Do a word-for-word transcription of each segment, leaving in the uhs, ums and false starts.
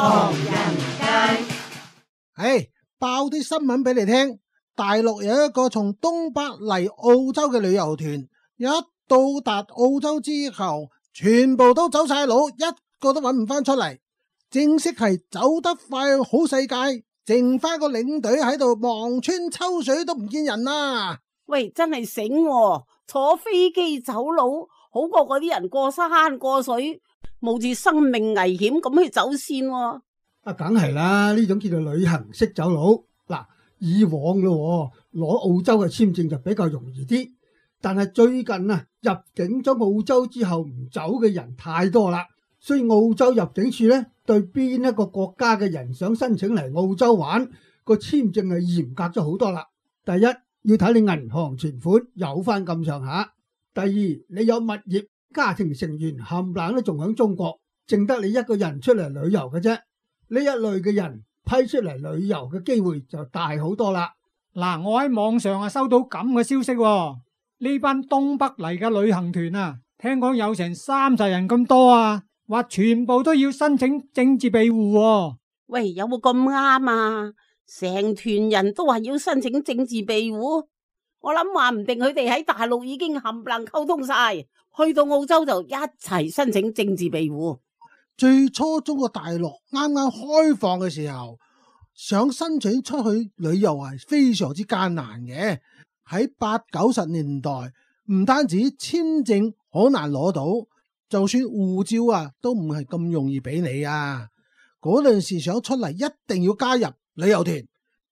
唐人街。唉，爆啲新聞俾你聽。大陸有一個從東北嚟澳洲嘅旅遊團，一到達澳洲之後，全部都走晒佬，一個都揾唔翻出嚟。正式係走得快好世界，剩翻個領隊喺度望穿秋水都唔見人啦。喂，真係醒喎，坐飛機走佬好過嗰啲人過山過水，冒住生命危險咁去走線喎。啊，梗係啦，呢種叫做旅行式走佬。嗱，以往咯，攞澳洲嘅簽證就比較容易啲，但係最近啊，入境咗澳洲之後唔走嘅人太多啦，所以澳洲入境處咧對邊一個國家嘅人想申請嚟澳洲玩，個簽證係嚴格咗好多啦。第一，要睇你銀行存款有翻咁上下；第二，你有物業，家庭成員冚唪唥都仲喺中國，淨得你一個人出嚟旅遊嘅啫。呢一類嘅人批出嚟旅遊嘅機會就大好多啦。嗱，我喺網上啊收到咁嘅消息喎，呢班東北嚟嘅旅行團啊，聽講有成三十人咁多啊，話全部都要申請政治庇護喎。喂，有冇咁啱啊？成團人都話要申請政治庇護，我諗話唔定佢哋喺大陸已經冚唪唥溝通晒，去到澳洲就一齊申請政治庇護。最初中國大陸啱啱開放嘅時候，想申請出去旅遊係非常之艱難嘅。喺八九十年代，唔單止簽證好難攞到，就算護照啊都唔係咁容易俾你啊。嗰陣時想出嚟一定要加入旅遊團，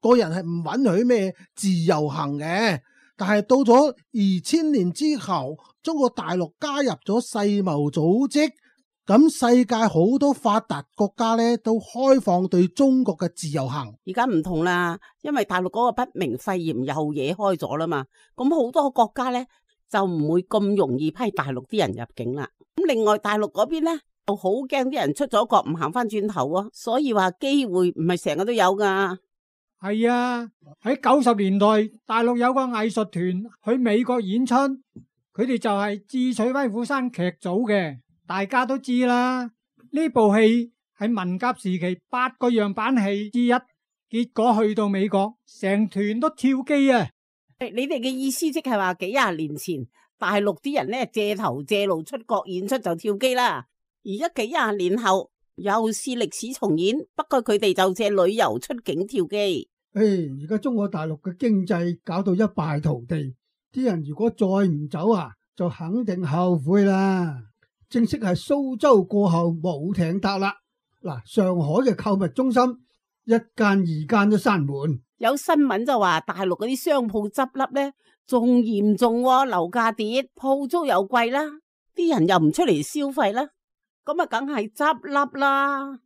個人係唔允許咩自由行嘅。但係到咗二千年之後，中國大陸加入咗世貿組織。咁世界好多發達國家咧都開放對中國嘅自由行。而家唔同啦，因為大陸嗰個不明肺炎又惹開咗啦嘛，咁好多國家咧就唔會咁容易批大陸啲人入境啦。咁另外大陸嗰邊咧就好驚啲人出咗國唔行翻轉頭啊，所以話機會唔係成日都有噶。係啊，喺九十年代大陸有個藝術團去美國演出，佢哋就係智取威虎山劇組嘅。大家都知啦，呢部戲係文革時期八個樣板戲之一，結果去到美國，成團都跳機啊！你哋嘅意思即係話幾廿年前大陸啲人咧借頭借路出國演出就跳機啦，而家幾廿年後又是歷史重演，不過佢哋就借旅遊出境跳機。誒，而家中國大陸嘅經濟搞到一敗塗地，啲人如果再唔走啊，就肯定後悔啦。正式係蘇州過後冇艇搭啦！嗱，上海嘅購物中心一間二間都閂門。有新聞就話大陸嗰啲商鋪執笠咧，仲嚴重喎，樓價跌，鋪租又貴啦，啲人又唔出嚟消費啦，咁啊梗係執笠啦。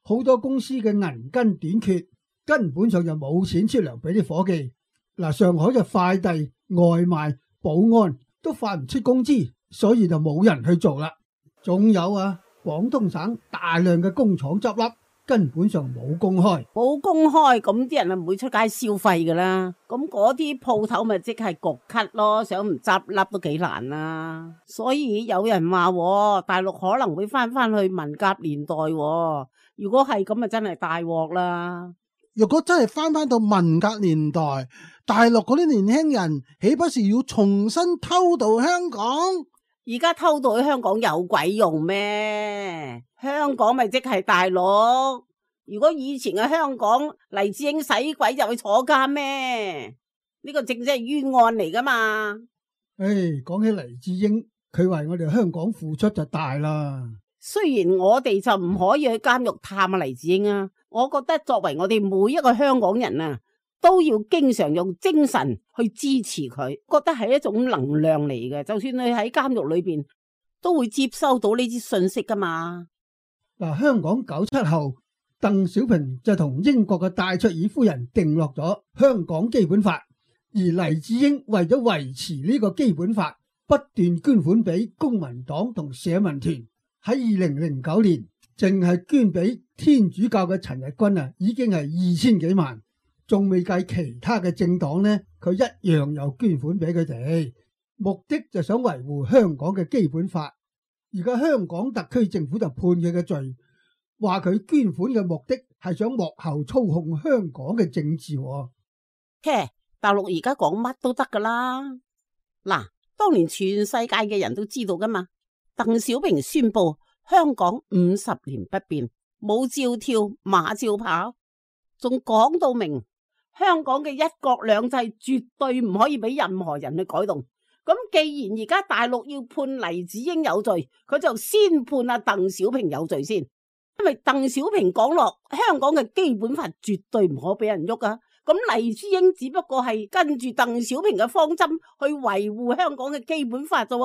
好多公司嘅銀根短缺，根本上就冇錢出糧俾啲伙計。嗱，上海嘅快遞、外賣、保安都發唔出工資，所以就冇人去做啦。仲有啊，廣東省大量嘅工廠執笠，根本上冇公開，冇公開，咁啲人啊唔會出街消費噶啦。咁嗰啲鋪頭咪即係焗咳咯，想唔執笠都幾難啦。所以有人話大陸可能會翻翻去文革年代，如果係咁啊，真係大鑊啦。如果真係翻翻到文革年代，大陸嗰啲年輕人豈不是要重新偷渡香港？而家偷渡去香港有鬼用咩？香港咪即係大陸。如果以前嘅香港，黎智英使鬼就去坐監咩？呢個正正係冤案嚟噶嘛。誒，講起黎智英，佢為我哋香港付出就大啦。雖然我哋就唔可以去監獄探啊黎智英啊，我覺得作為我哋每一個香港人啊，都要經常用精神去支持佢，覺得係一種能量嚟嘅。就算你喺監獄裏邊，都會接收到呢啲信息噶嘛。嗱，香港九七後，鄧小平就同英國嘅戴卓爾夫人定落咗香港基本法，而黎智英為咗維持呢個基本法，不斷捐款俾公民黨同社民團。喺二零零九年，淨係捐俾天主教嘅陳日君啊，已經係二千幾萬。仲未計其他嘅政黨呢，佢一樣有捐款俾佢哋，目的就想維護香港嘅基本法。而家香港特區政府就判佢嘅罪，話佢捐款嘅目的係想幕後操控香港嘅政治喎。嘿，大陸而家講乜都得噶啦。嗱，當年全世界嘅人都知道噶嘛，鄧小平宣布香港五十年不變，舞照跳，馬照跑，仲講到明香港嘅一國兩制絕對唔可以俾任何人去改動。咁既然而家大陸要判黎智英有罪，佢就先判阿鄧小平有罪先，因為鄧小平講落香港嘅基本法絕對唔可俾人喐啊。咁黎智英只不過係跟住鄧小平嘅方針去維護香港嘅基本法啫，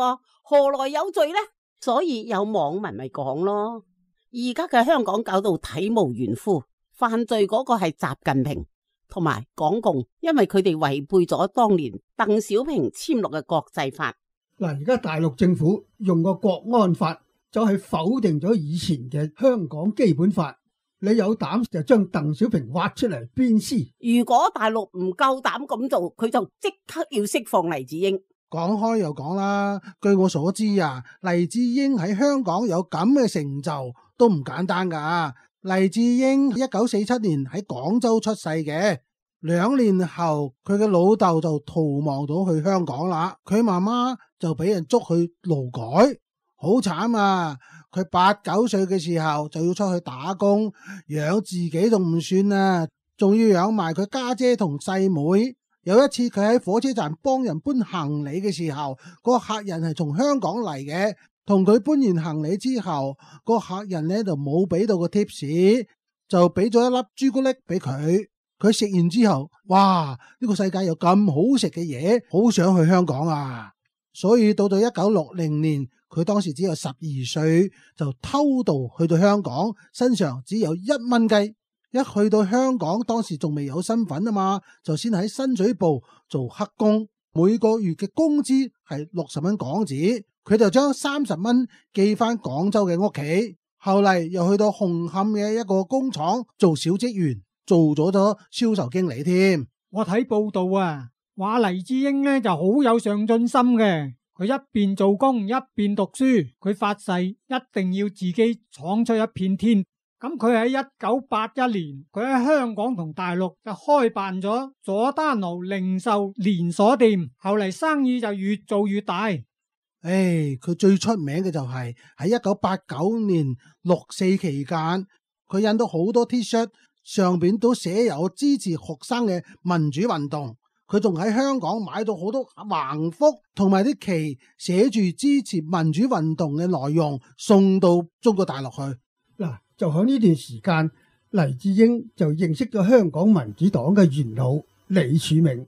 何來有罪呢？所以有網民咪講咯，而家嘅香港搞到體無完膚，犯罪嗰個係習近平同埋港共，因為佢哋違背咗當年鄧小平簽落嘅國際法。嗱，而家大陸政府用個國安法就係否定咗以前嘅香港基本法，你有膽就將鄧小平挖出嚟鞭屍。如果大陸唔夠膽咁做，佢就即刻要釋放黎智英。講開又講啦，據我所知啊，黎智英喺香港有咁嘅成就都唔簡單噶。黎智英一九四七年喺廣州出世嘅，兩年後佢嘅老豆就逃亡到去香港啦，佢媽媽就俾人捉去勞改，好慘啊！佢八九歲嘅時候就要出去打工，養自己仲唔算啊，仲要養埋佢家姐同細妹。有一次佢喺火車站幫人搬行李嘅時候，個客人係從香港嚟嘅。同佢搬完行李之後，個客人咧就冇俾到個貼士，就俾咗一粒朱古力俾佢。佢食完之後，哇！呢個世界有咁好食嘅嘢，好想去香港啊！所以到到一九六零年，佢當時只有十二歲，就偷渡去到香港，身上只有一蚊雞。一去到香港，當時仲未有身份啊嘛，就先喺深水埗做黑工，每個月嘅工資係六十蚊港紙。佢就將三十蚊寄翻廣州嘅屋企，後嚟又去到紅磡嘅一個工廠做小職員，做咗咗銷售經理添。我睇報道啊，話黎智英呢就好有上進心嘅，佢一邊做工一邊讀書，佢發誓一定要自己闖出一片天。咁佢喺一九八一年，佢喺香港同大陸就開辦咗佐丹奴零售連鎖店，後嚟生意就越做越大。誒，佢、哎、最出名嘅就係喺一九八九年六四期間，佢印到好多 T 恤，上邊都寫有支持學生嘅民主運動。佢仲喺香港買到好多橫幅同埋啲旗，寫住支持民主運動嘅內容，送到中國大陸去。嗱，就喺呢段時間，黎智英就認識咗香港民主黨嘅元老李柱銘。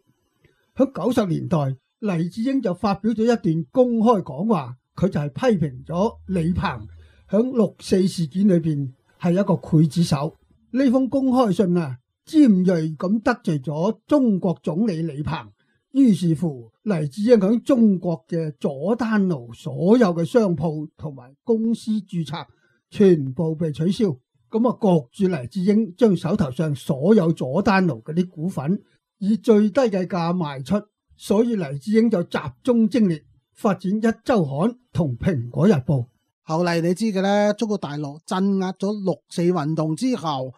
喺九十年代，黎智英就發表咗一段公開講話，佢就係批評咗李鵬響六四事件裏邊係一個劊子手。呢封公開信啊，尖銳咁得罪咗中國總理李鵬，於是乎黎智英響中國嘅佐丹奴所有嘅商鋪同埋公司註冊全部被取消，咁啊焗住黎智英將手頭上所有佐丹奴嗰啲股份以最低嘅價賣出。所以黎智英就集中精力發展一周刊同蘋果日報。後嚟你知嘅咧，中國大陸鎮壓咗六四運動之後，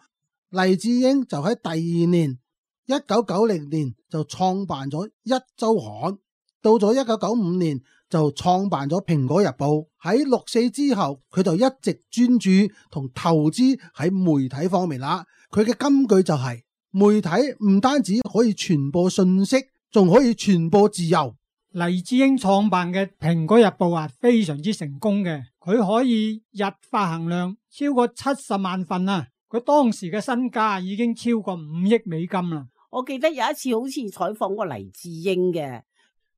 黎智英就喺第二年一九九零年就創辦咗一周刊，到咗一九九五年就創辦咗蘋果日報。喺六四之後，佢就一直專注同投資喺媒體方面啦。佢嘅金句就係、是、媒體唔單止可以傳播信息，仲可以傳播自由。黎智英創辦嘅蘋果日報啊，非常之成功嘅，佢可以日發行量超過七十萬份啊！佢當時嘅身價已經超過五億美金啦。我記得有一次好似採訪過黎智英嘅，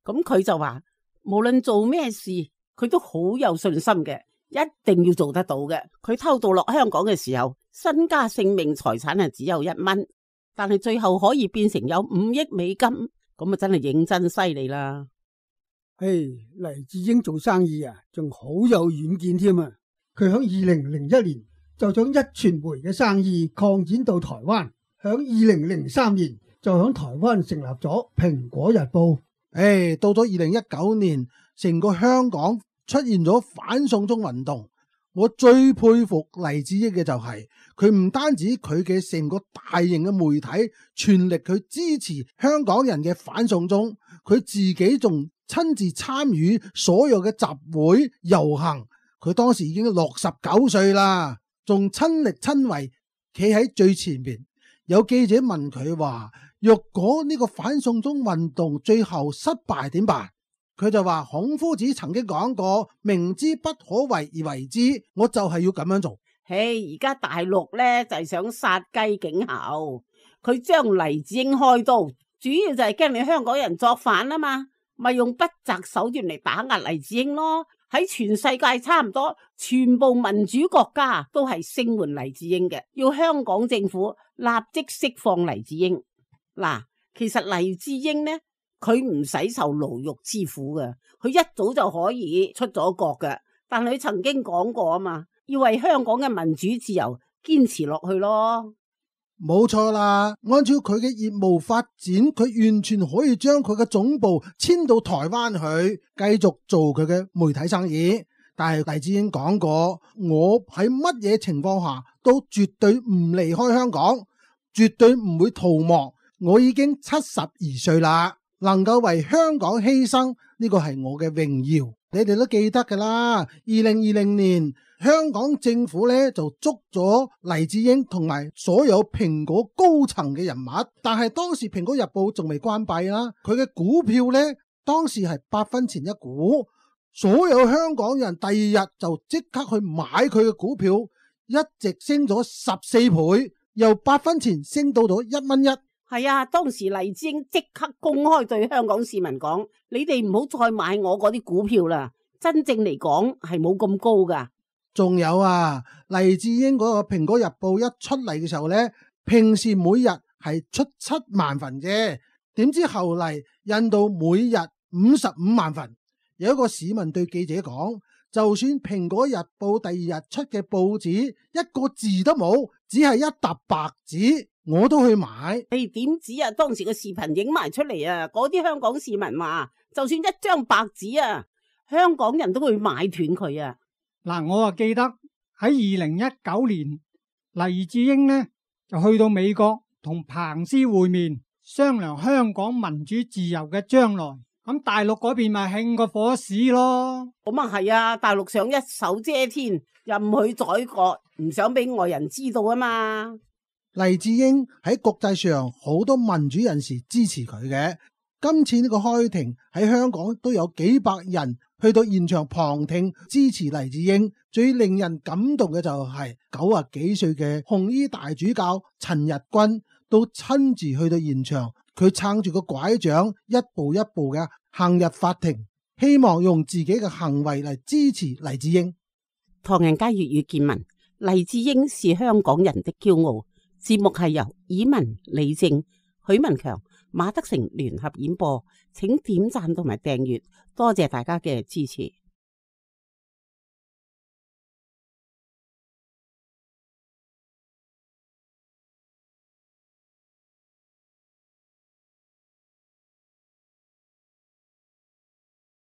咁佢就話無論做咩事，佢都好有信心嘅，一定要做得到嘅。佢偷渡落香港嘅時候，身家性命財產係只有一蚊，但係最後可以變成有五億美金。咁啊，真係認真犀利啦！嘿，黎智英做生意啊，仲好有遠見添啊！佢響二零零一年就將一傳媒嘅生意擴展到台灣，響二零零三年就響台灣成立咗蘋果日報。誒，到咗二零一九年，成個香港出現咗反送中運動，我最佩服黎智英嘅就係佢唔單止佢嘅成個大型嘅媒體全力去支持香港人嘅反送中，佢自己仲親自參與所有嘅集會遊行。佢當時已經六十九歲啦，仲親力親為企喺最前面。有記者問佢話：若果呢個反送中運動最後失敗點辦？佢就話孔夫子曾經講過，明知不可為而為之，我就係要咁樣做。嘿，而家大陸咧就係、是、想殺雞儆猴，佢將黎智英開刀，主要就係驚你香港人作反啊嘛，咪用不擇手段嚟打壓黎智英咯。喺全世界差唔多全部民主國家都係聲援黎智英嘅，要香港政府立即釋放黎智英。嗱，其實黎智英呢，佢唔使受牢獄之苦嘅，佢一早就可以出咗國嘅。但佢曾經講過啊嘛，要為香港嘅民主自由堅持落去咯。冇錯啦，按照佢嘅業務發展，佢完全可以將佢嘅總部遷到台灣去，繼續做佢嘅媒體生意。但係黎智英講過，我喺乜嘢情況下都絕對唔離開香港，絕對唔會逃亡。我已經七十二歲啦，能夠為香港犧牲，呢個係我嘅榮耀。你哋都記得噶啦，二零二零年香港政府咧就捉咗黎智英同埋所有蘋果高層嘅人物，但係當時蘋果日報仲未關閉啦，佢嘅股票咧當時係八分錢一股，所有香港人第二日就即刻去買佢嘅股票，一直升咗十四倍，由八分錢升到咗一蚊一。係啊，當時黎智英即刻公開對香港市民講：你哋唔好再買我嗰啲股票啦，真正嚟講係冇咁高噶。仲有啊，黎智英嗰個蘋果日報一出嚟嘅時候咧，平時每日係出七萬份啫，點知後嚟印到每日五十五萬份。有一個市民對記者講：就算蘋果日報第二日出嘅報紙一個字都冇，只係一沓白紙，我都去買。誒，點止啊？當時個視頻影埋出嚟啊！嗰啲香港市民話，就算一張白紙啊，香港人都會買斷佢啊！嗱，我啊記得喺二零一九年，黎智英呢就去到美國同彭斯會面，商量香港民主自由嘅將來。咁大陸嗰邊咪興個火屎咯。咁啊係啊，大陸想一手遮天，又唔去宰割，唔想俾外人知道啊嘛。黎智英喺國際上好多民主人士支持佢嘅，今次呢個開庭喺香港都有幾百人去到現場旁聽支持黎智英。最令人感動嘅就係九十幾歲嘅紅衣大主教陳日君都親自去到現場，佢撐住個拐杖，一步一步嘅行入法庭，希望用自己嘅行為嚟支持黎智英。唐人街粵語見聞，黎智英是香港人的驕傲。節目係由以文、李正、許文強、馬德成聯合演播，請點讚同埋訂閱，多謝大家嘅支持。